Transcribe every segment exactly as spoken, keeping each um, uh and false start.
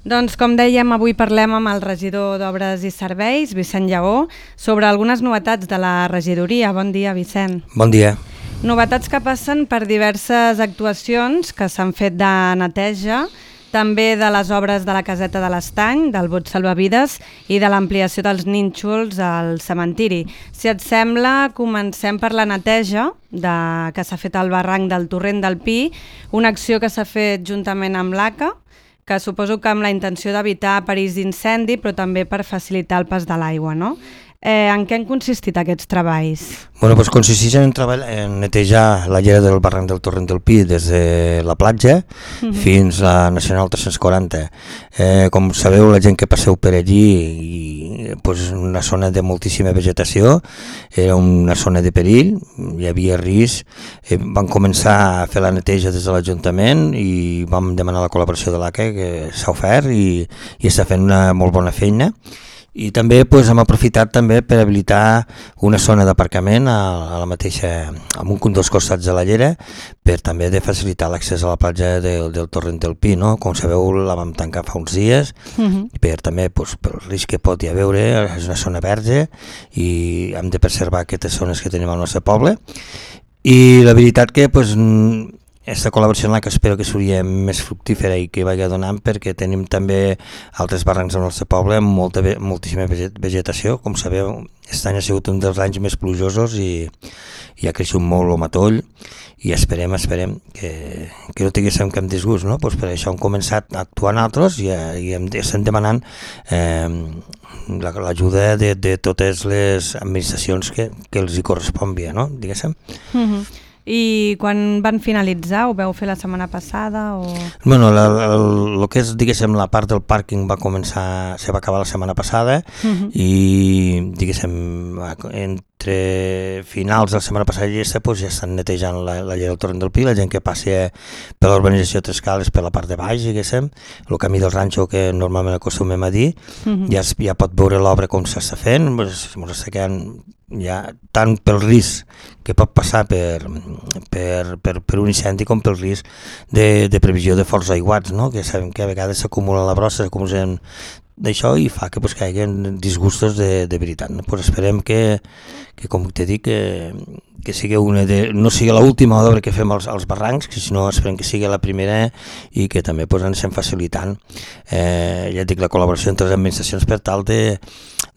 Doncs com dèiem, avui parlem amb el regidor d'Obres i Serveis, Vicent Lleó, sobre algunes novetats de la regidoria. Bon dia, Vicent. Bon dia. Novetats que passen per diverses actuacions que s'han fet de neteja, també de les obres de la caseta de l'Estany, del bot salvavides i de l'ampliació dels nínxols al cementiri. Si et sembla, comencem per la neteja de, que s'ha fet al barranc del Torrent del Pi, una acció que s'ha fet juntament amb l'A C A, que suposo que amb la intenció d'evitar perills d'incendi, però també per facilitar el pas de l'aigua, no? Eh, en què han consistit aquests treballs? Bueno, doncs consisteix en, treball, en netejar la llera del barranc del Torrent del Pi des de la platja uh-huh. fins a la Nacional tres-cents quaranta. Eh, com sabeu, la gent que passeu per allí, i, doncs una zona de moltíssima vegetació, era una zona de perill, hi havia risc. Eh, vam començar a fer la neteja des de l'Ajuntament i vam demanar la col·laboració de l'A C A, que s'ha ofert i, i està fent una molt bona feina. I també doncs, hem aprofitat també per habilitar una zona d'aparcament a, a la mateixa, a un dels costats de la llera, per també de facilitar l'accés a la platja del, del Torrent del Pi, no? Com sabeu, la vam tancar fa uns dies, uh-huh. per també doncs, pel risc que pot hi haver, és una zona verge i hem de preservar aquestes zones que tenim al nostre poble. I la veritat que doncs, aquesta col·laboració en la que espero que seria més fructífera i que vagi donant, perquè tenim també altres barrancs al nostre poble amb molta, moltíssima vegetació. Com sabeu, aquest any ha sigut un dels anys més plujosos i, i ha creixut molt el matoll i esperem, esperem que, que no tinguéssim cap disgust, no? Pues per això hem començat a actuar nosaltres i, i hem, estem demanant eh, l'ajuda de, de totes les administracions que, que els hi correspon bé, no? Diguéssim. Mm-hmm. I quan van finalitzar? Ho veu fer la setmana passada? O... Bueno, el que és, diguéssim, la part del pàrquing va començar, se va acabar la setmana passada uh-huh. i, diguéssim, entre finals de la setmana passada i aquesta, doncs ja estan netejant la, la llera del Torrent del Pi, la gent que passi per l'urbanització Tres Cales per la part de baix, diguéssim, el camí del ranxo que normalment acostumem a dir, uh-huh. ja, ja pot veure l'obra com s'està fent, ens està quedant ja tant pel risc que pot passar per, per, per, per un incendi com pel risc de, de previsió de forts aiguats, no? Que sabem que a vegades s'acumula la brossa, s'acumulen d'això i fa que, pues, que hi hagi disgustos de, de veritat. No? Pues esperem que, que com t'he dit, que, que sigui una de, no sigui l'última obra que fem als, als barrancs, que sinó esperem que sigui la primera i que també pues, ens estem facilitant eh, ja dic, la col·laboració entre les administracions per tal de,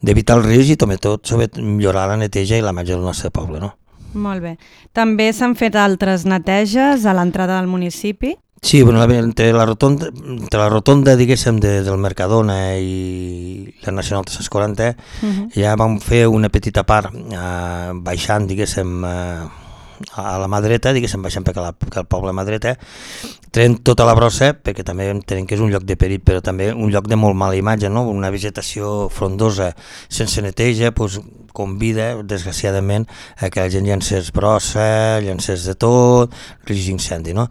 d'evitar el risc i també tot sobre millorar la neteja i la imatge del nostre poble. No? Molt bé. També s'han fet altres neteges a l'entrada del municipi? Sí, bueno, entre la rotonda, entre la rotonda diguéssim, de, del Mercadona i la Nacional tres-cents quaranta uh-huh. ja vam fer una petita part eh, baixant, diguéssim, eh, a la mà dreta, diguéssim, baixant per la, per el poble mà dreta, traient tota la brossa, perquè també entenem que és un lloc de perill, però també un lloc de molt mala imatge, no? Una vegetació frondosa sense neteja, doncs, convida, desgraciadament, a que la gent llancés brossa, llancés de tot, risc d'incendi, no?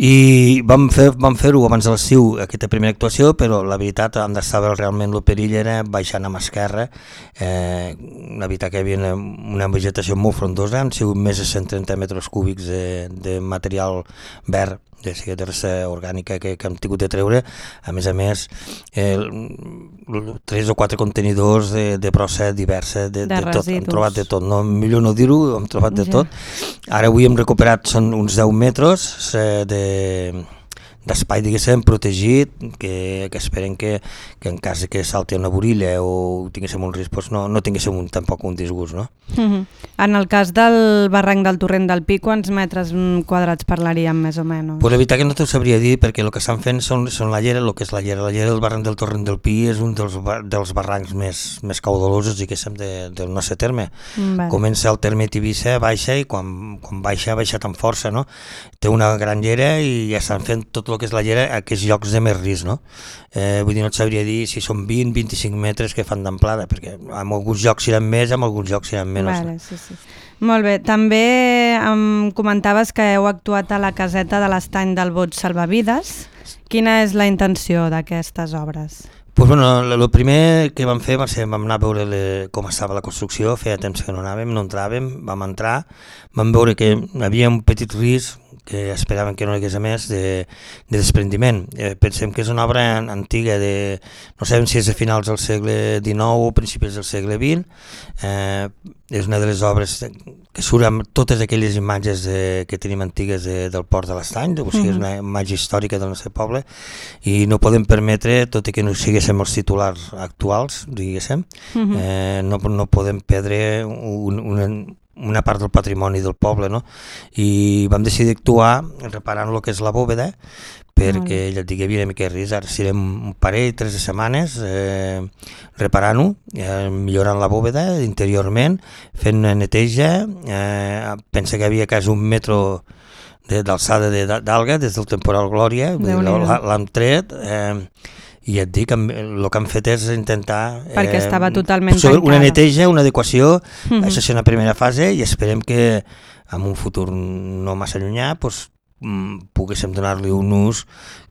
I vam fer, vam fer-ho abans de l'estiu, aquesta primera actuació, però la veritat, on estava realment el perill era baixant a mà esquerra, eh, la veritat que hi havia una, una vegetació molt frondosa, han sigut més de cent trenta metres cúbics de, de material verd, de, de resta orgànica que, que hem tingut de treure, a més a més eh, tres o quatre contenidors de, de brossa diversa, de, de, de tot, hem trobat de tot, no, millor no dir-ho, hem trobat de ja. tot. Ara avui hem recuperat, són uns deu metres eh, de d'espai, diguéssim, protegit, que, que esperem que, que en cas que salti una borilla o tinguéssim un risc, doncs no, no tinguéssim un, tampoc un disgust, no? Uh-huh. En el cas del barranc del Torrent del Pi, quants metres quadrats parlaríem més o menys? Pues la veritat que no t'ho sabria dir, perquè el que estan fent són, són la llera, el que és la llera. La llera del barranc del Torrent del Pi és un dels, dels barrancs més, més caudalosos, diguéssim, de, del nostre terme. Vale. Comença el terme Tivissa, baixa, i quan, quan baixa, baixa amb força, no? Té una gran llera i ja estan fent tot el que és la llera a aquests llocs de més risc, no? Eh, vull dir, no et sabria dir si són vint a vint-i-cinc metres que fan d'amplada, perquè en alguns llocs seran més, en alguns llocs seran menys. Vale, sí, sí. Molt bé, també em comentaves que heu actuat a la caseta de l'Estany del Bot Salvavides. Quina és la intenció d'aquestes obres? Pues bueno, el primer que vam fer va ser, vam anar a veure le, com estava la construcció, feia temps que no anàvem, no entràvem, vam entrar, vam veure que hi havia un petit risc, que esperaven que no hi hagués a més, de, de desprendiment. Eh, pensem que és una obra antiga, de, no sabem si és de finals del segle dinou o principis del segle vint, eh, és una de les obres que surt amb totes aquelles imatges de, que tenim antigues de, del Port de l'Estany, o sigui, és una imatge històrica del nostre poble, i no podem permetre, tot i que no siguéssim els titulars actuals, diguéssim, uh-huh. eh, no, no podem perdre un, una, una part del patrimoni del poble, no? I vam decidir actuar reparant el que és la bòveda, perquè ja et dic, hi havia una mica de risc. Ara serem un parell, tres de setmanes eh, reparant-ho, eh, millorant la bòveda interiorment, fent una neteja, eh, pensa que hi havia quasi un metro d'alçada de, d'alga des del temporal Glòria, l'hem tret, eh, i ja et dic, el que han fet és intentar... Perquè eh, estava totalment tancada. Una neteja, una adequació, uh-huh. Això és una primera fase, i esperem que en un futur no massa llunyà pues, poguéssim donar-li un ús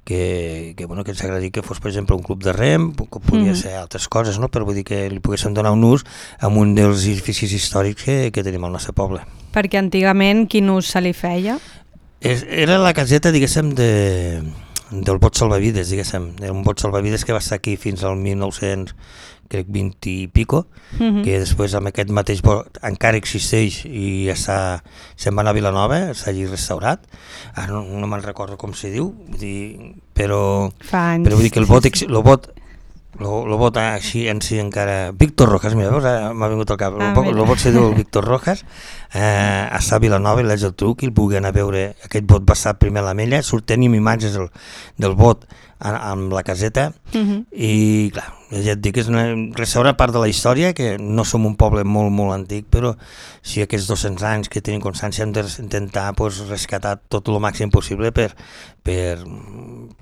que, que, bueno, que ens agradaria que fos, per exemple, un club de rem, que podria mm. ser altres coses, no? Però vull dir que li poguéssim donar un ús a un dels edificis històrics que, que tenim al nostre poble. Perquè antigament quin ús se li feia? És, era la caseta, diguéssim, de, del bot salvavides, diguéssim. Era un bot salvavides que va estar aquí fins al mil nou-cents crec vint i pico, uh-huh. que després amb aquest mateix bot encara existeix i ja està, se'n va anar a Vilanova, s'ha allí restaurat, ara no, no me'n recordo com se diu, vull dir, però, però vull dir que el bot, el bot el bot així en si encara... Víctor Rojas, mira, m'ha vingut al cap, el bot, el bot se diu el Víctor Rojas, eh, està a Vilanova, i l'haig del truc, i el pugui anar a veure, aquest bot va estar primer a l'Ametlla, surt, tenim imatges del, del bot amb la caseta, uh-huh. i clar, ja et dic, és una, restaura part de la història, que no som un poble molt, molt antic, però si aquests dos-cents anys que tenim constància hem d'intentar pues, rescatar tot el màxim possible per, per,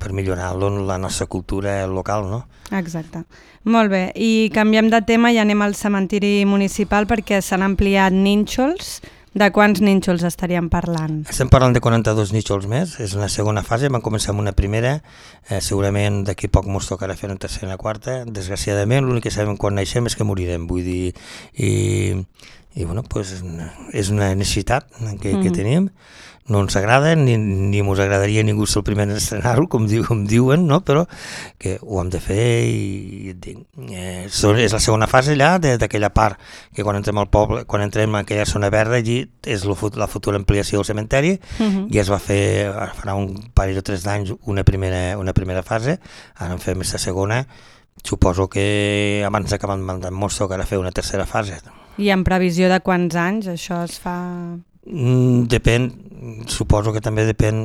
per millorar la nostra cultura local, no? Exacte. Molt bé, i canviem de tema i anem al cementiri municipal perquè s'han ampliat nínxols. De quants nínxols estaríem parlant? Estem parlant de quaranta-dos nínxols més, és una segona fase, vam començar amb una primera, eh, segurament d'aquí poc ens tocarà fer una tercera i una quarta, desgraciadament l'únic que sabem quan naixem és que morirem, vull dir, i, i bueno, pues, és una necessitat que, mm. que tenim, no ens agrada, ni, ni ens agradaria ningú ser el primer a estrenar-ho, com, diu, com diuen, no? Però que ho hem de fer i dic, eh, és la segona fase allà d'aquella part que quan entrem al poble, quan entrem en aquella zona verda, allí és la futura ampliació del cementeri, uh-huh. i es va fer, farà un parell o tres d'anys una primera, una primera fase, ara en fem aquesta segona, suposo que abans d'acabar el mandat ens tocarà fer una tercera fase. I en previsió de quants anys això es fa? Mm, depèn, suposo que també depèn,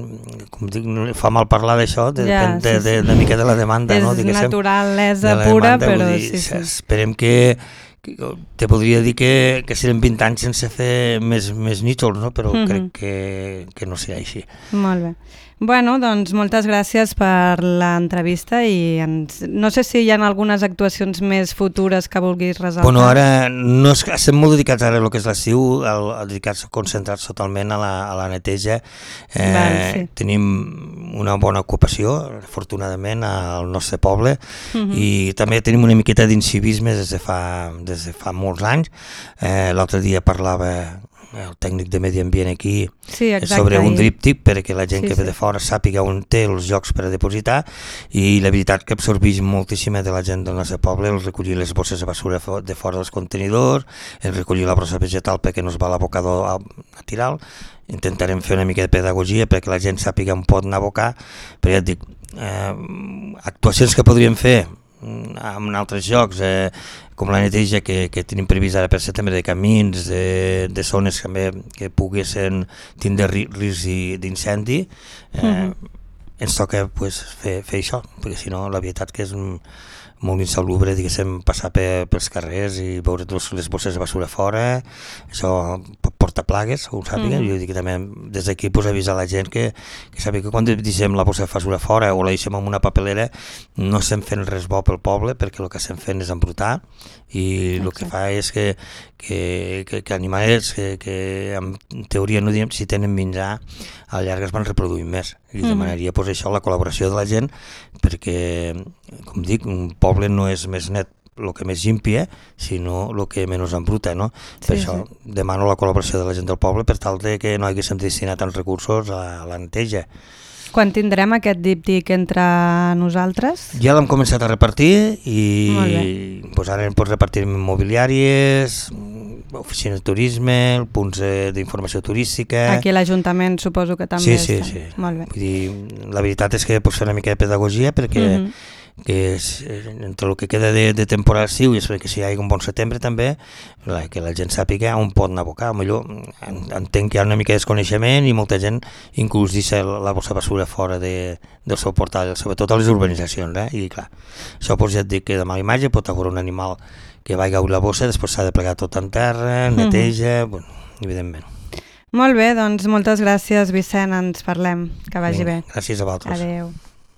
com dic, fa mal parlar d'això, de, ja, depèn de, sí, de, de, de mica de la demanda. És no? naturalesa pura, demanda, però dir, sí, sí. Esperem que, que, te podria dir que, que serem vint anys sense fer més, més nítxols, no? Però mm-hmm. crec que, que no serà així. Molt bé. Bueno, doncs moltes gràcies per l'entrevista i ens... no sé si hi ha algunes actuacions més futures que vulguis resaltar. Bueno, ara no és... estem molt dedicats ara a lo que és l'estiu, dedicats concentrats totalment a la, a la neteja. Eh, Val, sí. Tenim una bona ocupació, afortunadament, al nostre poble, uh-huh. i també tenim una miqueta d'incivisme des de fa, des de fa molts anys. Eh, l'altre dia parlava el tècnic de Medi Ambient aquí, sí, exacte, sobre un díptic perquè la gent sí, que ve sí. de fora sàpiga on té els llocs per a depositar, i la veritat que absorbeix moltíssima de la gent del nostre poble el recollir les bosses de basura de fora dels contenidors, el recollir la brossa vegetal perquè no es va a l'abocador a, a tirar. Intentarem fer una mica de pedagogia perquè la gent sàpiga on pot anar a abocar, però ja et dic, eh, actuacions que podríem fer en altres llocs, eh, com la neteja que, que tenim previst ara per setembre, de camins, de, de zones també que poguessin tindre risc d'incendi, eh, mm-hmm. ens toca pues, fer, fer això, perquè si no la veritat que és un, molt insalubre, diguéssim, passar per, pels carrers i veure totes les bosses de basura fora, això porta plagues, ho sàpiga, mm. jo dic que també des d'aquí pues, avisar la gent que, que sàpiga que quan deixem la bossa de basura fora o la deixem en una papelera no estem fent res bo pel poble perquè el que estem fent és embrutar i el que fa és que, que, que, que animals que, que en teoria no diem si tenen menjar a la llarga es van reproduint més i demanaria pues, això la col·laboració de la gent perquè, com dic, un poble no és més net el que més limpia, sinó el que menys embruta, no? Per Sí, això sí. demano la col·laboració de la gent del poble per tal de que no haguéssim destinat tants recursos a la neteja. Quan tindrem aquest díptic entre nosaltres? Ja l'hem començat a repartir Molt i pues, ara hem pots repartir immobiliàries, oficines de turisme, punts eh, d'informació turística... Aquí a l'Ajuntament suposo que també Sí, sí, està. sí. Molt bé. Vull dir, la veritat és que pots fer una mica de pedagogia perquè Mhm. que és, eh, entre el que queda de, de temporada estiu i després que si hi hagi un bon setembre també, la, que la gent sàpiga on pot abocar. Millor en, entenc que hi ha una mica de desconeixement i molta gent inclús deixa la, la bossa basura fora de, del seu portal, sobretot a les urbanitzacions, eh? I clar, això pues, ja et dic que de mala imatge pot haver un animal que va caure la bossa, després s'ha de plegar tot en terra, neteja, mm-hmm. bueno, evidentment. Molt bé, doncs moltes gràcies, Vicent, ens parlem, que vagi bé. Gràcies a vosaltres. Adéu.